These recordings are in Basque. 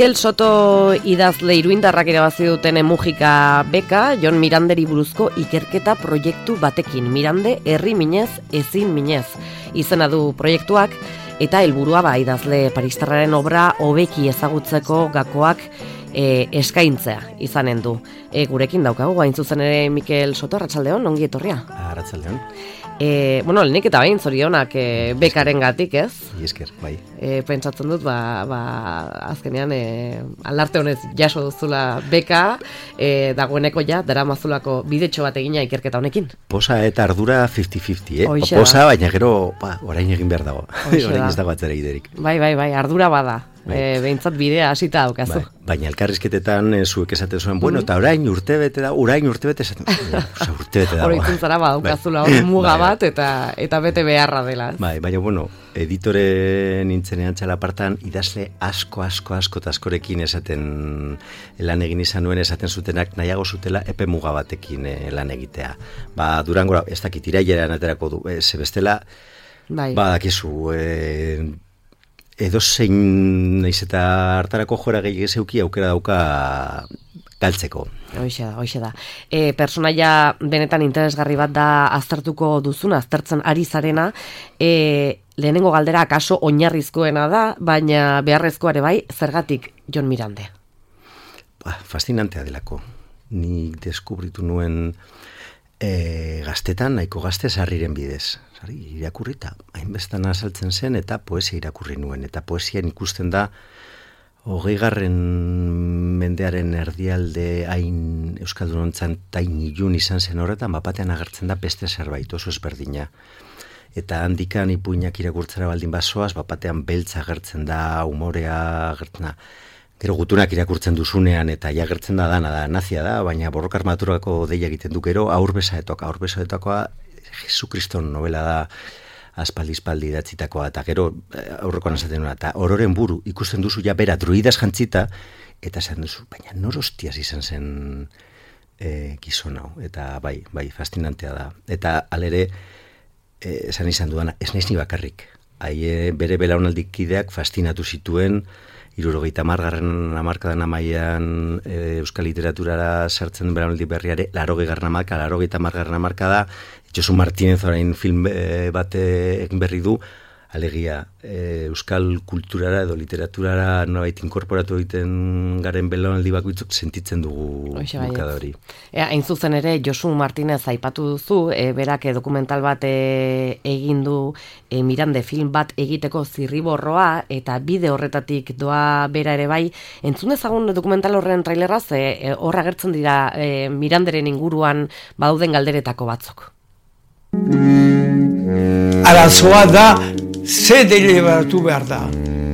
Mikel Soto idazle iruindarrak irabazi duten Mujika beka, Jon Miranderi buruzko ikerketa proiektu batekin. Mirande herri minez, ezin minez izena du proiektuak, eta helburua idazle paristarraren obra hobeki ezagutzeko gakoak eskaintzea izanen du. Gurekin daukagu, hain zuzen ere Mikel Soto, arratsaldeon, ongi etorria. Arratsaldeon. Lehenik eta bain zorionak bekaren gatik, ez? Esker, bai. Pentsatzen dut, azkenean aldarte honez jaso duzula beka, dagoeneko daramazulako bidetxo bat egina ikerketa honekin. Posa eta ardura 50-50, Posa, baina gero, orain egin behar dago. Orain ez dago atzera iderik. Bai, ardura bada. Behintzat bidea hasita daukazu. Baina elkarrizketetan zuek esaten zuen, bueno, eta orain urtebete dago. Urtebete dago. Horitzen zara daukazula muga bat eta bete beharra dela. Baina, bueno, editore nintzenean txalapartan idazle asko eta askorekin esaten lan egin izan nuen, esaten zutenak nahiago zutela epe muga batekin lan egitea. Durangora, ez dakit iraileran aterako du, ze bestela, dakizu, edozein naiz eta hartarako jora gehiago zeuki aukera dauka galtzeko. Hoxe da. Personaia benetan interesgarri bat da aztertuko duzuna, aztertzen ari zarena, lehenengo galdera akaso oinarrizkoena da, baina beharrezkoa ere bai, zergatik Jon Mirande? Fascinantea delako. Nik deskubritu nuen gaztetan, nahiko gazte sarriren bidez. Irakurrita, hainbestan azaltzen zen eta poesia irakurri nuen. Eta poesian ikusten da 20. mendearen erdialde hain euskaldunontzan tain ilun izan zen horretan, batean agertzen da beste zerbait oso ezberdina. Eta handikan ipuinak irakurtzera baldin basoaz, batean beltza agertzen da, umorea agertzen da. Gero gutunak irakurtzen duzunean eta agertzen da dana da, nazia da, baina borroka armaturako deia egiten du gero, aurbesaetokoa Jesukriston novela da aspaldi idatzitakoa, eta gero aurrekoan esaten nuen, eta ororen buru ikusten duzu bera druidaz jantzita, eta esan duzu, baina norostiaz izan zen gizon hau, eta bai, fascinantea da. Eta alere, esan izan duana, ez naiz ni bakarrik. Bere belaunaldikideak fascinatu zituen, 70. hamarkadan amaian euskal literaturara sartzen belaunaldi berriare, 80. hamarkada, Josu Martínez orain film bat egin berri du, alegia euskal kulturara edo literaturara nolabait inkorporatu egiten garen belaunaldi bakoitzok sentitzen dugu bulkada hori. Hain zuzen ere, Josu Martínez aipatu duzu, berak dokumental bat egin du Mirande film bat egiteko zirriborroa, eta bide horretatik doa bera ere bai. Entzun dezagun dokumental horren traileraz, horra agertzen dira Miranderen inguruan badauden galderetako batzuk. Arazoa da, ze deliberatu behar da.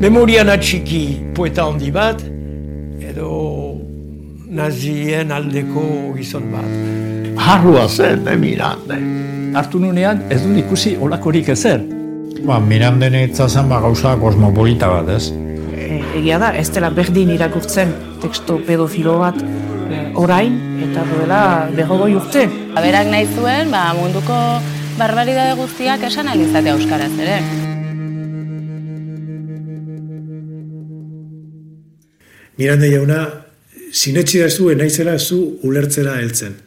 Memorian atxiki poeta handi bat, edo nazien aldeko gizon bat. Harrua zen, Mirande. Hartu nunean, ez dut ikusi olakorik ezer. Miranden etzazen gauza kosmopolita bat, ez? Egia da, ez dela berdin irakurtzen teksto pedofilo bat orain, eta duela 40 urte. Berak nahi zuen, munduko barbaridade guztiak esan alizatea euskaraz ere. Mirande jauna, sinetsi da zu, naizela zu ulertzera heltzen.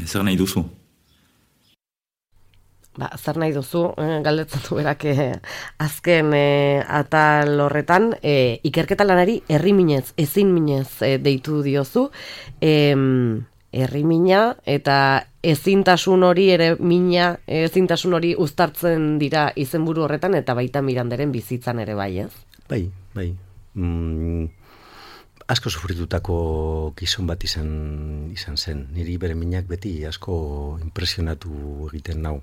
Zer nahi duzu? Zer nahi duzu, galdetzen du berak azken atal horretan, ikerketa lanari herri minez, ezin minez deitu diozu, herri mina eta ezintasun hori ere ezintasun hori uztartzen dira izenburu horretan eta baita Miranderen bizitzan ere bai, ez? Bai. Asko sufritutako gizon bat izan zen. Niri bere minak beti asko impresionatu egiten nau.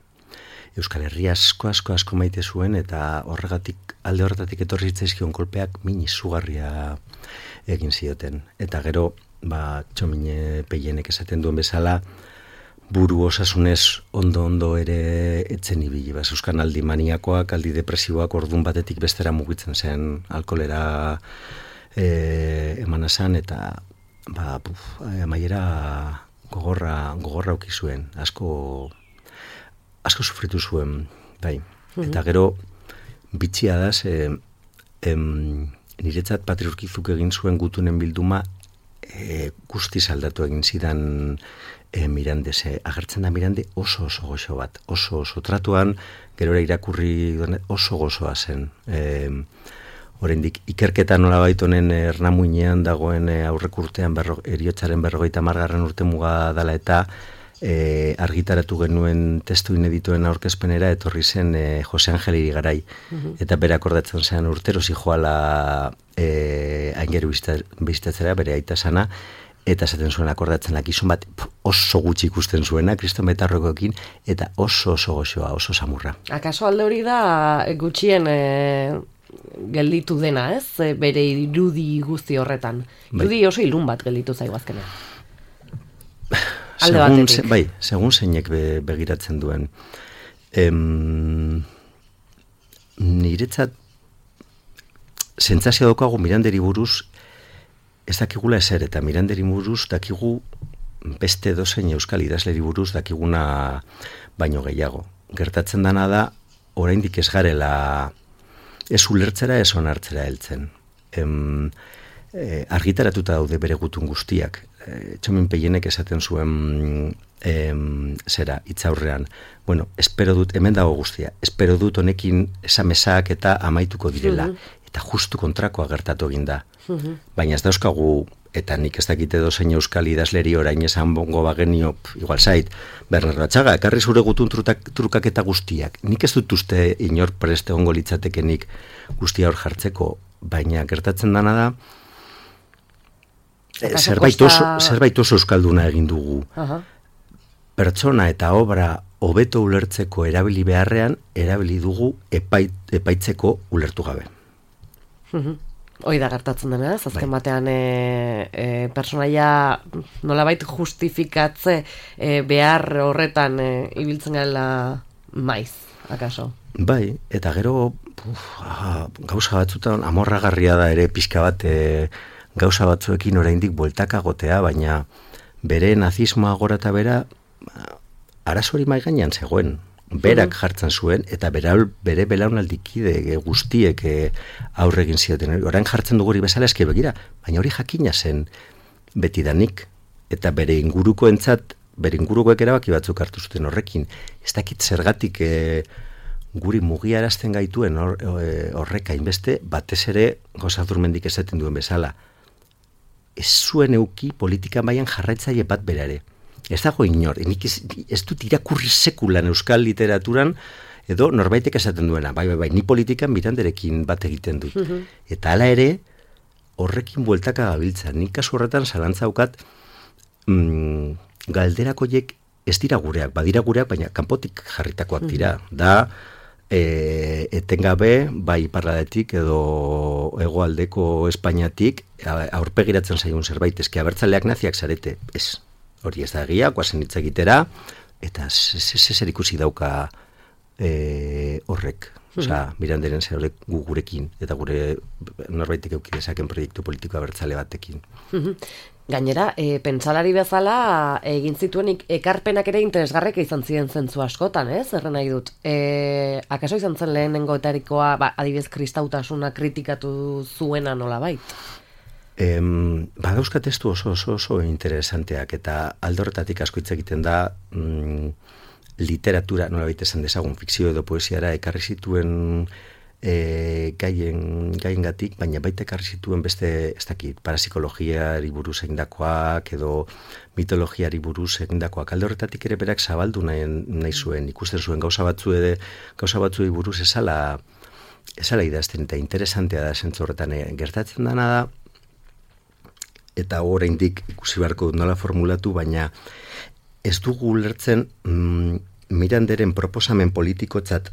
Euskal Herria asko maite zuen eta alde horretatik etorri zitzaizkion kolpeak min izugarria egin zioten. Eta gero, Txomine Peienek esaten duen bezala, buru osasunez ondo ere etzen ibili. Euskanaldi maniakoak, aldi depresiboak ordun batetik bestera mugitzen zen alkoholera emanazan eta amaiera gogorra auki zuen. Asko sufritu zuen, bai. Eta gero bitxia da, niretzat Patri Urkizuk egin zuen gutunen bilduma guztiz aldatu egin zidan Mirande. Agertzen da Mirande oso goxo bat, oso tratuan, gerora irakurri oso gozoa zen. Oraindik ikerketa nolabait honen Ernamuinean dagoen aurrekurtean heriotzaren 50. urte muga dela eta argitaratu genuen testu ineditoen aurkezpenera etorri zen Jose Angel Irigarai. Eta bere akordatzen zen urtero zijoala aingeru bizitatzera, bere aita sana, eta esaten zuen akordatzen gizon bat oso gutxi ikusten zuena, Kriston Betarrokoekin, eta oso goxoa, oso samurra. Akaso alde hori da gutxien gelditu dena, ez? Bere irudi guzti horretan. Irudi oso ilun bat gelditu zaigu azkenean. Alde batetik. Bai, segun zeinek begiratzen duen. Niretzat sentsazio daukagu Miranderi buruz ez dakigula ezer, eta Miranderi buruz dakigu beste dozein euskal idazleri buruz dakiguna baino gehiago. Gertatzen dana da, oraindik ez garela ez ulertzera, ez onartzera heltzen. Argitaratuta daude bere gutun guztiak. Txomin Peienek esaten zuen hitzaurrean. Bueno, espero dut, hemen dago guztia, espero dut honekin esamesak eta amaituko direla. Eta justu kontrakoa gertatu egin da. Baina ez dauzkagu, eta nik ez dakite dozein euskal idazleri orain esan bongo bagenio, igual zait, Bernardo Atxaga, ekarri zure gutun trukaketa guztiak. Nik ez dut uste inor preste ongo litzatekenik guztia hor jartzeko, baina gertatzen dana da, zerbait oso euskalduna egin dugu. Pertsona eta obra hobeto ulertzeko erabili beharrean, erabili dugu epaitzeko ulertu gabe. Hoi da gertatzen dena, ez? Azken batean personaia nolabait justifikatze behar horretan ibiltzen gala maiz, akaso? Bai, eta gero gauza batzutan amorragarria da ere pixka bat gauza batzuekin oraindik bueltaka gotea, baina bere nazismoa gora eta bera arazori mai gainean zegoen. Berak jartzen zuen, eta bere belaunaldikide guztiek aurre egin zioten. Orain jartzen dugu hori bezala eske begira, baina hori jakina zen betidanik, eta bere ingurukoek erabaki batzuk hartu zuten horrekin. Ez dakit zergatik guri mugiarazten gaituen horrek hainbeste, batez ere Gozadurmendik esaten duen bezala. Ez zuen euki politika mailan jarraitzaile bat bera ere. Ez dago inor, ez dut irakurri sekulan euskal literaturan, edo norbaitek esaten duena, bai, ni politikan Miranderekin bat egiten dut. Eta hala ere, horrekin bueltaka gabiltza. Nik kasu horretan zalantzaukat galderakoiek ez dira gureak, badira gureak, baina kanpotik jarritakoak dira. Da, etengabe, bai parladetik edo hegoaldeko Espainiatik, aurpegiratzen zaigun zerbait, eske abertzaleak naziak zarete, ez. Hori ez da egia, guazen hitz egitera, eta zer ikusi dauka horrek. Osa, Miranderen zer gurekin, eta gure norbaitek euki dezaken proiektu politiko abertzale batekin. Gainera, pentsalari bezala egin zituen ekarpenak ere interesgarrek izan ziren zentzu askotan, ez? Erren nahi dut. Akaso izan zen lehenengoetarikoa, adibidez kristautasuna kritikatu zuena nolabait? Badauzka testu oso interesanteak, eta aldorretatik asko hitz egiten da literatura, nolabait esan dezagun, fikzio edo poesiara ekarri zituen gaiengatik, baina baita ekarri zituen beste, ez dakit, parapsikologiari buruz egindakoak edo mitologiari buruz egindakoak. Alde horretatik ere berak zabaldu nahi zuen, ikusten zuen gauza batzuei buruz esala idazten, eta interesantea da zentzu horretan gertatzen dana da, eta oraindik ikusi beharko dut nola formulatu, baina ez dugu ulertzen Miranderen proposamen politikotzat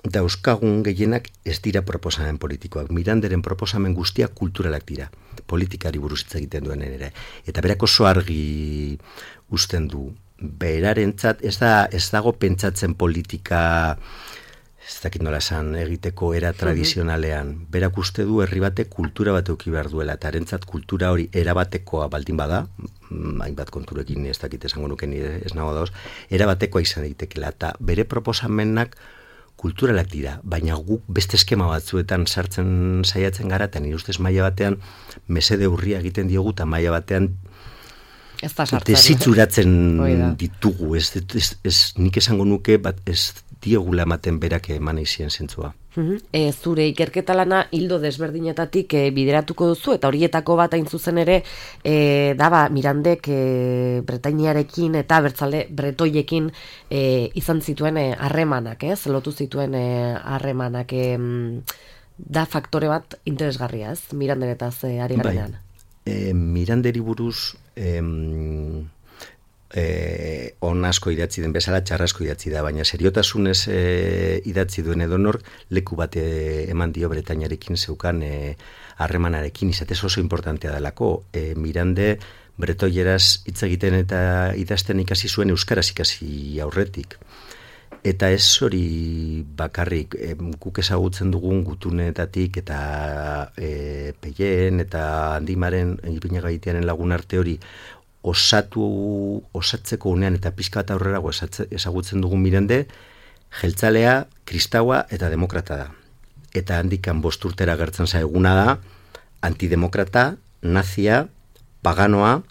dauzkagun gehienak ez dira proposamen politikoak. Miranderen proposamen guztiak kulturalak dira, politikari buruz hitz egiten duen ere. Eta berak oso argi uzten du. Berarentzat ez dago pentsatzen politika, ez dakit nola esan, egiteko era tradizionalean. Berak uste du herri batek kultura bat eduki behar duela, eta harentzat kultura hori erabatekoa baldin bada, hainbat konturekin ez dakit esango nuken ez nago dauz, erabatekoa izan daitekeela, eta bere proposamenak kulturalak dira, baina guk beste eskema batzuetan sartzen saiatzen gara, eta nire ustez maila batean mesede urria egiten diogu, eta maila batean desitzuratzen ditugu. Nik esango nuke, ez diogula ematen berak eman izien zentzua. Zure ikerketa lana hildo desberdinetatik bideratuko duzu, eta horietako bat hain zuzen ere Mirandek Bretainiarekin eta bertzale bretoiekin izan zituen harremanak, lotu zituen harremanak, da faktore bat interesgarria, ez? Miranderetaz ari garenean. Miranderi buruz on asko idatzi den bezala, txarrasko idatzi da, baina seriotasunez idatzi duen edonor leku bat eman dio Bretainiarekin zeukan harremanarekin, izatez oso importantea delako. Mirande bretoieraz hitz egiten eta idazten ikasi zuen euskaraz ikasi aurretik. Eta ez hori bakarrik, guk ezagutzen dugun gutunetatik eta Peien eta Handimaren, Ipinagaitiaren lagun arte hori osatzeko unean eta pixka bat aurrerago ezagutzen dugun Mirande, jeltzalea, kristaua eta demokrata da. Eta handikan 5 urtera gertzen zaiguna da, antidemokrata, nazia, paganoa,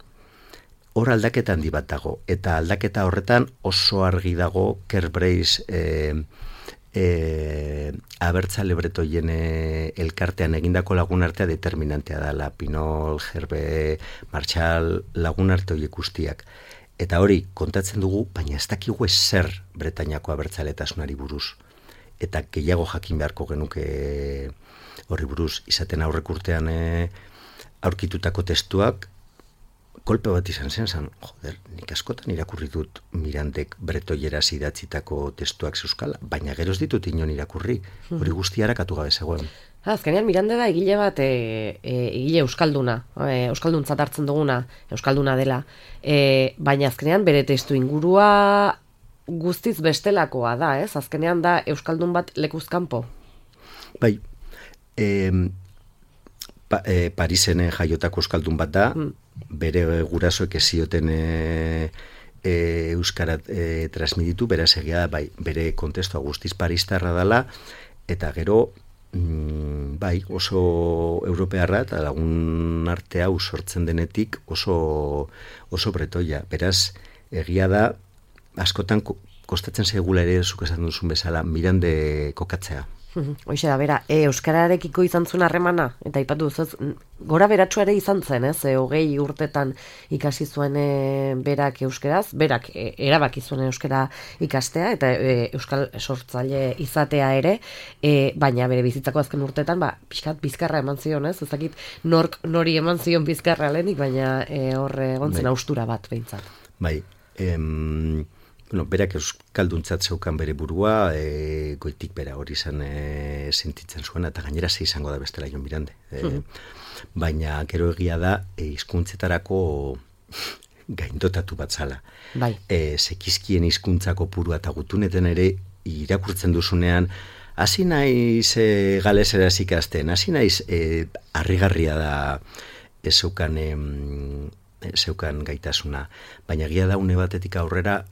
hor aldaketa handi bat dago. Eta aldaketa horretan oso argi dago Kerbreis abertzale bretoien elkartean egindako lagunartea determinantea dela, Pinol, Gerbe, Marshall, lagunarte horiek guztiak. Eta hori kontatzen dugu, baina ez dakigu ezer Bretainiako abertzaletasunari buruz. Eta gehiago jakin beharko genuke horri buruz, izaten aurrek urtean aurkitutako testuak, kolpe bat izan zen, nik askotan irakurri dut Mirandek bretoieraz idatzitako testuak zeuskala, baina gero ez ditut inon irakurri, hori guztia harakatu gabe zegoen. Azkenean Mirande da egile bat, egile euskalduna, euskalduntzat hartzen duguna, euskalduna dela, baina azkenean bere testu ingurua guztiz bestelakoa da, ez? Azkenean da euskaldun bat lekuzkanpo. Bai, Parisen jaiotako euskaldun bat da, bere gurasoek ez zioten euskara transmititu, beraz egia da, bere kontestua guztiz paristarra dela, eta gero, oso europearra, eta lagun arte hau sortzen denetik oso bretoia. Beraz, egia da, askotan kostatzen zaigula ere, zuk esan duzun bezala, Mirande kokatzea. Hoxe da, bera, euskararekiko izan zuen harremana, eta ipatu duzuz, gora beratxua ere izan zen, 20 urtetan ikasi zuen berak euskeraz, berak erabaki zuen euskara ikastea, eta euskal sortzaile izatea ere, baina bere bizitzako azken urtetan, pixkat bizkarra eman zion, ezakit nork nori eman zion bizkarra lehenik, baina horre gontzen austura bat behintzat. Bai, berak euskalduntzat zeukan bere burua, goitik bera hori izan sentitzen zuen, eta gainera ze izango da bestela Jon Mirande. Baina gero egia da, hizkuntzetarako gaindotatu bat zala. Bai. Zekizkien hizkuntzako purua eta gutuneten ere irakurtzen duzunean, hasi naiz galeseraz ikasten, hasi naiz harrigarria da zeukan gaitasuna, baina egia da une batetik aurrera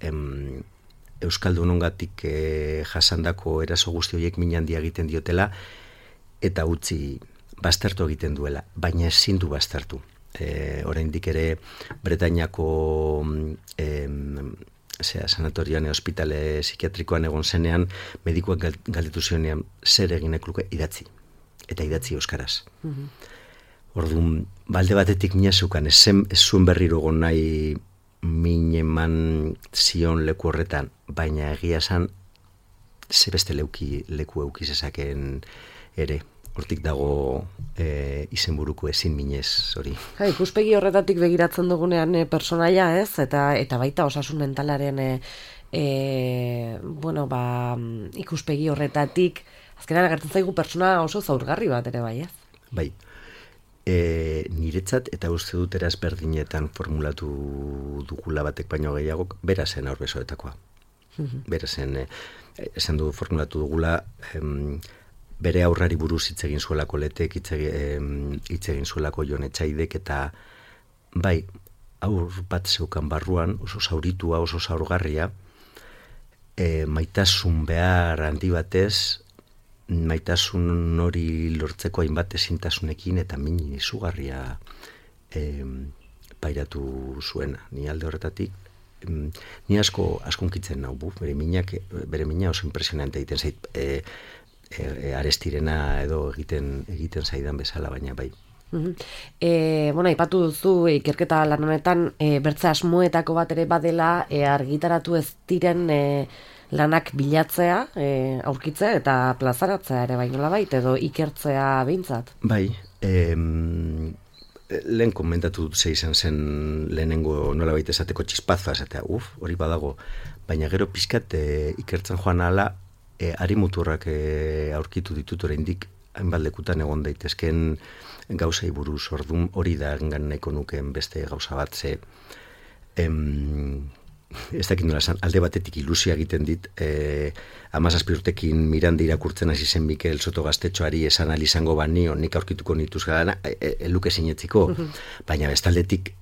euskaldunongatik jasandako eraso guzti horiek min handia egiten diotela eta utzi baztertu egiten duela, baina ezin du baztertu. Oraindik ere Bretainiako sanatorioan ospitale psikiatrikoan egon zenean, medikuak galdetu zionean zer eginek luke idatzi, eta idatzi euskaraz. Orduan, balde batetik mina zeukan, ez zuen berriro egon nahi min eman zion leku horretan, baina egia esan ze beste leku eukizezaken ere. Hortik dago izenburuko ezin minez hori. Ikuspegi horretatik begiratzen dugunean personaia, ez? Eta baita osasun mentalaren ikuspegi horretatik azkenean agertzen zaigu persona oso zaurgarri bat ere bai, ez? Bai. Niretzat eta uste dut eraz berdinetan formulatu dugula batek baino gehiago, bera zen aurbesoetakoa. Bera zen, esan du formulatu dugula, bere aurrari buruz hitz egin zuelako Letek, hitz egin zuelako Jon Etxaidek, eta bai, aur bat zeukan barruan, oso zauritua, oso zaurgarria, maitasun behar handi batez, maitasun hori lortzeko hainbat ezintasunekin eta min izugarria pairatu zuena. Ni alde horretatik, ni asko unkitzen nau, bere mina oso impresionante egiten zait, arestirena edo egiten zaidan bezala, baina bai. Aipatu duzu ikerketa lan honetan bertze asmoetako bat ere badela argitaratu ez diren lanak bilatzea, aurkitzea eta plazaratzea ere bai nolabait edo ikertzea behintzat. Bai, lehen komentatu dut izan zen lehenengo nolabait esateko txispazoa esatea, hori badago, baina gero pixkat ikertzen joan ala, arimuturrak aurkitu ditut oraindik hainbat lekutan egon daitezken gauzei buruz, ordun hori da engan nahiko nukeen beste gauza bat, ze ez dakit nola esan, alde batetik ilusia egiten dit, 17 urtekin Miranda irakurtzen hasi zen Mikel Soto Gaztetxoari esan izango banio, nik aurkituko nituz gana, luke sinetziko, baina bestaldetik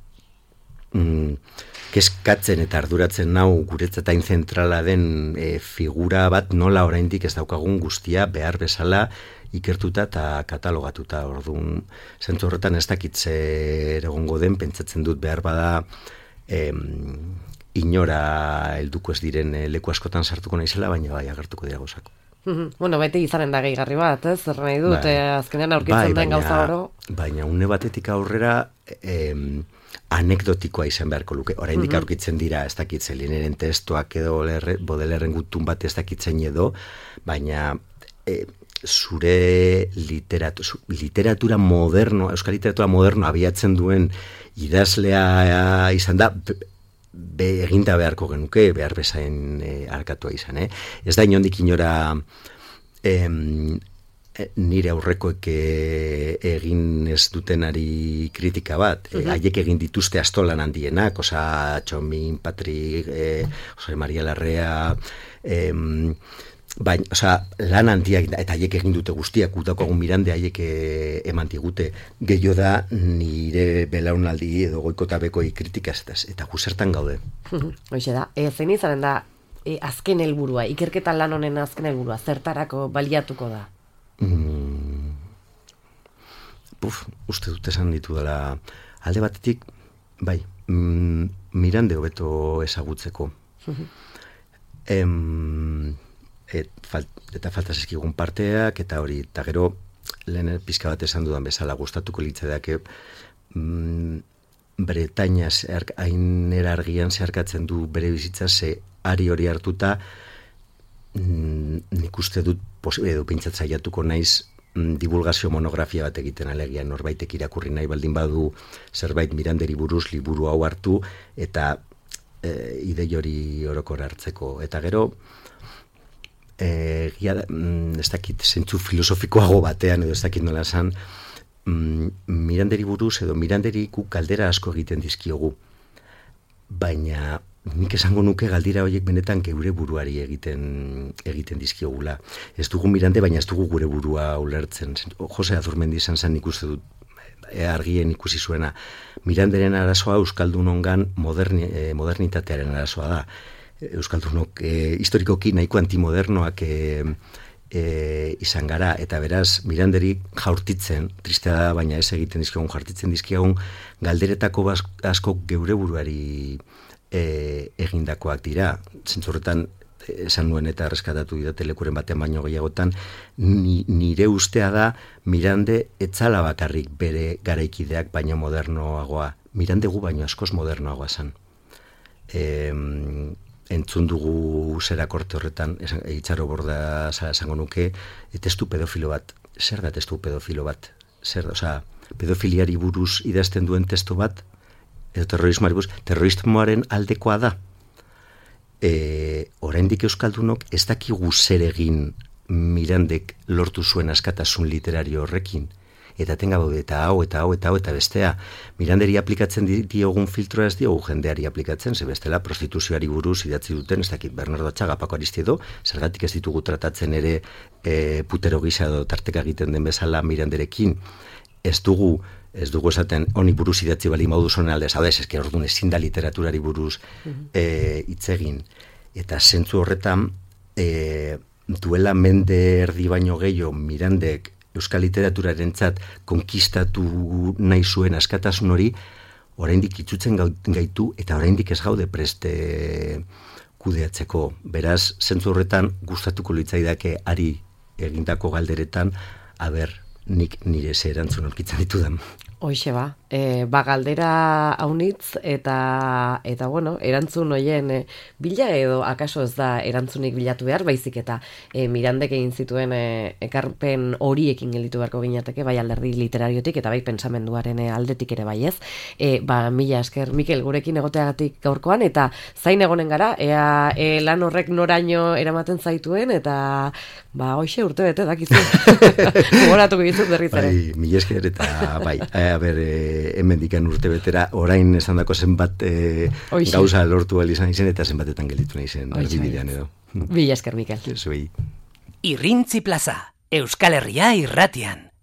kezkatzen eta arduratzen nau guretzat hain zentrala den figura bat nola oraindik ez daukagun guztia behar bezala ikertuta eta katalogatuta. Orduan, zentzu horretan ez dakitze egongo den, pentsatzen dut behar bada inora helduko ez diren leku askotan sartuko naizela, baina bai agertuko dira gauzak. Beti izanen da gehigarri bat, zer nahi dut, azkenean aurkitzen den gauza oro. Baina une batetik aurrera anekdotikoa izan beharko luke. Oraindik aurkitzen dira, ez dakitze, Lineren testuak edo Baudelairen gutun bat ez dakitzen edo, baina zure literatura moderno, euskal literatura moderno abiatzen duen idazlea izan da, eginda beharko genuke, behar bezain arkatua izan. Ez da inondik inora nire aurrekoek egin ez dutenari kritika bat, haiek egin dituzte astolan handienak, Osa Txomin, Patrik, Jose Maria Larrea, baina, lan handiak, eta haiek egin dute guztiak, gutakoagun Mirande haiek eman digute, gehiago da nire belaunaldi edo goikotabekoi kritikaz, eta guzertan gaude. Hoxe da, zein izanen da azken helburua, ikerketa lan honen azken helburua, zertarako baliatuko da? Uste dut esan ditu dela, alde batetik, bai, Mirande hobeto ezagutzeko. Eta falta zizkigun parteak, eta hori, eta gero, lehen pizka bat esan dudan bezala, gustatuko litzedake, Bretaña hainera argian zeharkatzen du bere bizitza, ze ari hori hartuta, nik uste dut, edo pintzat zaiatuko naiz, divulgazio monografia bat egiten alegia, norbaitek irakurri nahi baldin badu zerbait Miranderi buruz liburu hau hartu, eta idei hori orokor hartzeko. Eta gero, ez dakit zentzu filosofikoago batean, edo ez dakit nola esan, Miranderi buruz edo Miranderi guk galdera asko egiten dizkiogu, baina nik esango nuke galdira horiek benetan geure buruari egiten dizkiogula. Ez dugu Mirande, baina ez dugu gure burua ulertzen. Jose Azurmendi izan zen ikuste dut, argien ikusi zuena, Miranderen arazoa euskaldunongan modernitatearen arazoa da. Euskaldunok historikoki nahiko antimodernoak izan gara, eta beraz Miranderi jaurtitzen, tristea da, baina ez egiten dizkiagun, jaurtitzen dizkiagun galderetako asko geure buruari egindakoak dira. Zentzurretan esan nuen eta reskatatu didate lekuren batean baino gehiagotan, nire ustea da Mirande etzala bakarrik bere garaikideak baino modernoagoa. Mirande gu baino askoz modernoagoa zen. Entzun dugu zera korte horretan, Itxaro Borda esango nuke, testu pedofilo bat. Zer da testu pedofilo bat? Pedofiliari buruz idazten duen testu bat, edo terrorismoaren aldekoa da. Oraindik euskaldunok ez dakigu zer egin Mirandek lortu zuen askatasun literario horrekin. Eta tenga baude, eta hau, eta bestea. Miranderi aplikatzen diogun filtroa ez diogu jendeari aplikatzen, ze bestela prostituzioari buruz idatzi duten, ez dakit Bernardo Atxaga, Paco Aristido, zergatik ez ditugu tratatzen ere putero gisa edo tarteka egiten den bezala Miranderekin. Ez dugu esaten honi buruz idatzi bali maudu zonen aldez, hau ez, orduan ezin da literaturari buruz hitz egin. Eta zentzu horretan, duela mende erdi baino gehiago Mirandek euskal literaturarentzat konkistatu nahi zuen askatasun hori, oraindik itzutzen gaitu eta oraindik ez gaude preste kudeatzeko. Beraz, zentzu horretan gustatuko litzaidake ari egindako galderetan, nik nire ze erantzun aurkitzen ditudan. Hoixe galdera haunitz eta bueno, erantzun hoien bila edo akaso ez da erantzunik bilatu behar, baizik eta Mirandek egin zituen ekarpen horiekin gelditu beharko ginateke, bai alderdi literariotik eta bai pentsamenduaren aldetik ere bai ez. Mila esker, Mikel, gurekin egoteagatik gaurkoan, eta zain egonen gara, ea lan horrek noraino eramaten zaituen, eta hoixe urte bete dakizu. Gogoratuko ditut berriz ere. Mila esker eta bai, hemen dikan urte betera, orain esan dako zenbat gauza lortu izan izen, eta zenbatetan gelditu nahi zen erdibidean edo. Mila esker, Mikel. Zuei. Irrintzi plaza, Euskal Herria irratian.